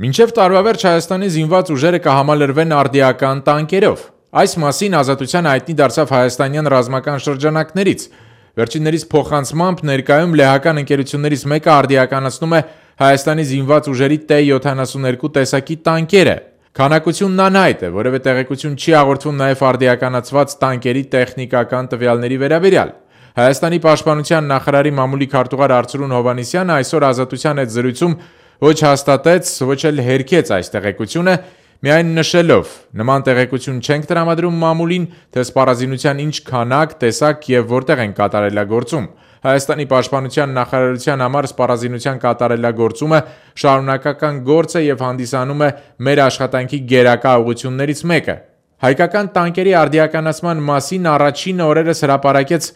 Մինչև տարվա վերջ Հայաստանի զինված ուժերը կհամալրվեն արդիական տանկերով։ Այս մասին Ազատության հայտնի դարձավ հայաստանյան ռազմական շրջանակներից։ Վերջիններիս փոխանցմամբ ներկայում լեհական ընկերություններից մեկը արդիականացնում է Հայաստանի զինված ուժերի T-72 տեսակի տանկերը։ Քանակությունն անհայտ է, որևէ տեղեկություն չի հաղորդվում նաև արդիականացված տանկերի տեխնիկական տվյալների վերաբերյալ։ Հայաստանի պաշտպանության նախարարի մամուլի քարտուղար Արծրուն Հովհաննիսյանը այսօր Ազատության հետ զրույցում ոչ հաստատեց, ոչ էլ հերքեց այս տեղեկությունը, միայն նշելով. նման տեղեկություն չենք տրամադրում մամուլին, թե սպառազինության ինչ քանակ, տեսակ եւ որտեղ են կատարելագործում։ Հայաստանի պաշտպանության նախարարության համար սպառազինության կատարելագործումը շարունակական գործ է եւ հանդիսանում է մեր աշխատանքի գերակա ուղղություններից մեկը։ Հայկական տանկերի արդիականացման մասին առաջին օրերս հրապարակեց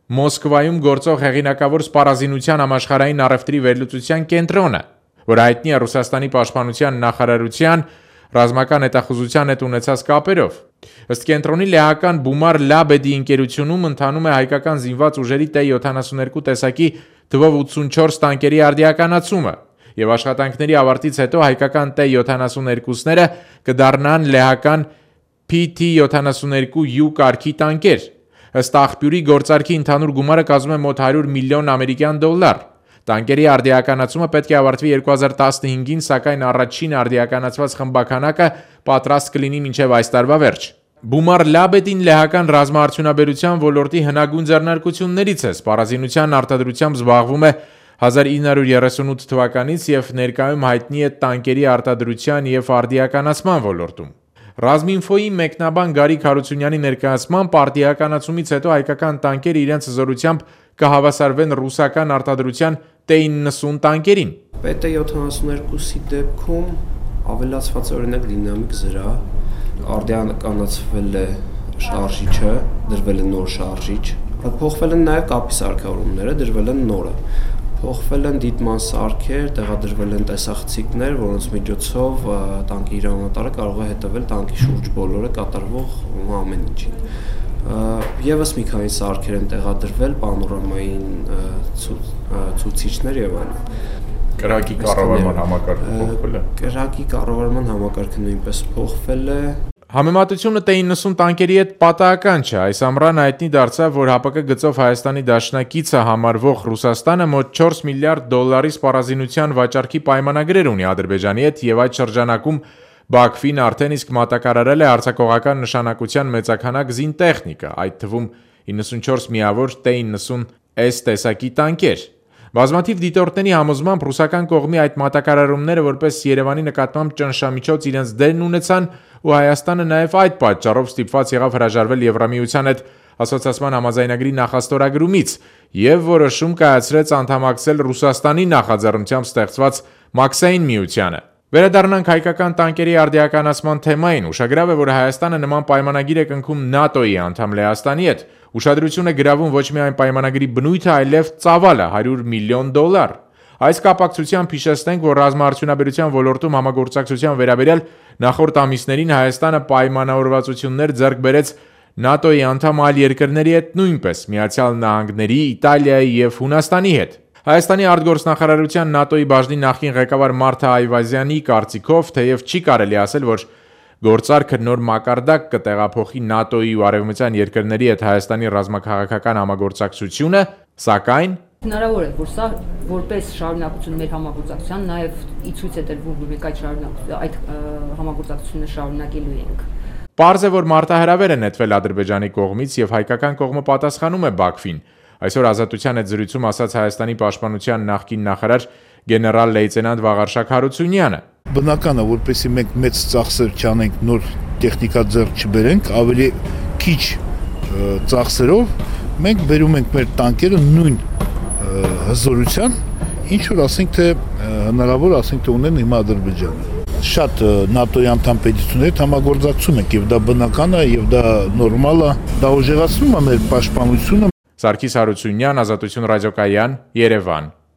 Մոսկվայում գործող հեղինակավոր սպառազինության համաշխարհային առևտրի վերլուծության կենտրոնը, որ հայտնի է Ռուսաստանի պաշտպանության նախարարության ռազմական հետախուզության հետ ունեցած կապերով։ Ըստ կենտրոնի լեհական Բումար Լաբեդի ընկերությունում ընթանում է հայկական զինված ուժերի T-72 տեսակի թվով 84 տանկերի արդիականացումը, եւ աշխատանքների ավարտից հետո հայկական T-72-ները կդառնան լեհական PT-72U կարգի տանկեր։ Ըստ աղբյուրի գործարքի ընդհանուր գումարը կազմում է մոտ 100 միլիոն ամերիկյան դոլար։ Տանկերի արդիականացումը պետք է ավարտվի 2015-ին, սակայն առաջին արդիականացված խմբականակը պատրաստ կլինի մինչև այս տարվա վերջ։ Բումար Լաբեդին լեհական ռազմաարդյունաբերության ոլորտի հնագույն ձեռնարկություններից է, սպառազինության արտադրությամբ զբաղվում է 1938 թվականից եւ ներկայում հայտնի է տանկերի արտադրության եւ արդիականացման ոլորտում։ Ռազմինֆոյի մեկնաբան Գարիկ Հարությունյանի ներկայացմամբ արդիականացումից հետո հայկական տանկերը իրենց զորությամբ կհավասարվեն ռուսական արտադրության T-90 տանկերին։ PT-72-ի դեպքում ավելացված օրինակ դինամիկ զրահ, արդիականացվել է շարժիչը, դրվել է նոր շարժիչ, փոխվել են նաև կապի սարքավորումները, դրվել են նորը, փոխվել են դիտման սարքեր, տեղադրվել են տեսախցիկներ, որոնց միջոցով տանկի հրամանատարը կարող է հետևել տանկի շուրջ բոլորը կատարվող ամեն ինչին։ Եվս մի քանի սարքեր են տեղադրվել, պանորամային ցուցիչներ եւ այլն։ Կրակի կառավարման համակարգը փոխվել է։ Կրակի կառավարման համակարգը նույնպես փոխվել է։ Համեմատությունը T-90 տանկերի հետ պատահական չէ։ Այս ամռան հայտնի դարձավ, որ ՀԱՊԿ գծով Հայաստանի դաշնակիցը համարվող Ռուսաստանը մոտ 4 միլիարդ դոլարի սպառազինության վաճառքի պայմանագրեր ունի Ադրբեջանի հետ եւ այդ շրջանակում Բաքվին արդեն իսկ մատակարարել է արձակողական նշանակության մեծաքանակ զինտեխնիկա, այդ թվում 94 միավոր T-90S տեսակի տանկեր։ Բազմաթիվ դիտորդների համոզմամբ ռուսական կողմի այդ մատակարարումները որպես Երևանի նկատմամբ ճնշամիջոց իրենց դերն ունեցան ու Հայաստանը նաև այդ պատճառով ստիպված եղավ հրաժարվել Եվրամիության հետ ասոցիացիան համաձայնագրի նախաստորագրումից եւ որոշում կայացրեց անդամակցել Ռուսաստանի նախաձեռնությամբ ստեղծված Մաքսային միությանը։ Վերադառնանք հայկական տանկերի արդիականացման թեմային։ Ուշագրավ է, որ Հայաստանը նման պայմանագիր է կնքում ՆԱՏՕ-ի անդամ Լեհաստանի հետ։ Ուշադրություն է գրավում ոչ միայն պայմանագրի բնույթը, այլև ծավալը՝ 100 միլիոն դոլար։ Այս կապակցությամբ հիշեցնենք, որ ռազմաարդյունաբերության ոլորտում համագործակցության վերաբերյալ նախորդ ամիսներին Հայաստանը պայմանավորվածություններ ձեռք բերեց ՆԱՏՕ-ի անդամ այլ երկրների հետ, նույնպես Միացյալ Նահանգների, Իտալիայի եւ Հունաստանի հետ։ Հայաստանի արտգործնախարարության ՆԱՏՕ-ի բաժնի նախկին ղեկավար Մարթա Այվազյանի կարծիքով, թեև չի կարելի ասել, որ գործարքը նոր մակարդակ կտեղափոխի ՆԱՏՕ-ի ու արևմտյան երկրների հետ Հայաստանի ռազմաքաղաքական համագործակցությունը, սակայն հնարավոր է, որ սա որպես շարունակություն մեր համագործակցության նաև ի ցույց է տրվում, որ մենք այդ համագործակցությունը շարունակելու ենք։ Պարզ է, որ մարտահրավեր է նետվել Ադրբեջանի կողմից եւ հայկական կողմը պատասխանում է Բաքվին։ Այսօր Ազատության հետ զրույցում ասաց Հայաստանի պաշտպանության նախկին նախարար գեներալ լեյտենանտ Վաղարշակ Հարությունյանը։ Բնական է, որպեսզի մենք մեծ ծախսեր չանենք, նոր տեխնիկա ձեռք չբերենք, ավելի քիչ ծախսերով մենք բերում ենք մեր տանկերը նույն հզորության, ինչ որ ասենք թե հնարավոր ասենք թե ունեն հիմա Ադրբեջանը։ Շատ ՆԱՏՕ-ի անդամ պետությունների հետ համագործակցում ենք եւ դա բնական է եւ դա նորմալ է, դա ուժեղացնում է մեր պաշտպանությունը։ Սարգիս Հարությունյան, Ազատություն ռադիոկայան, Երևան։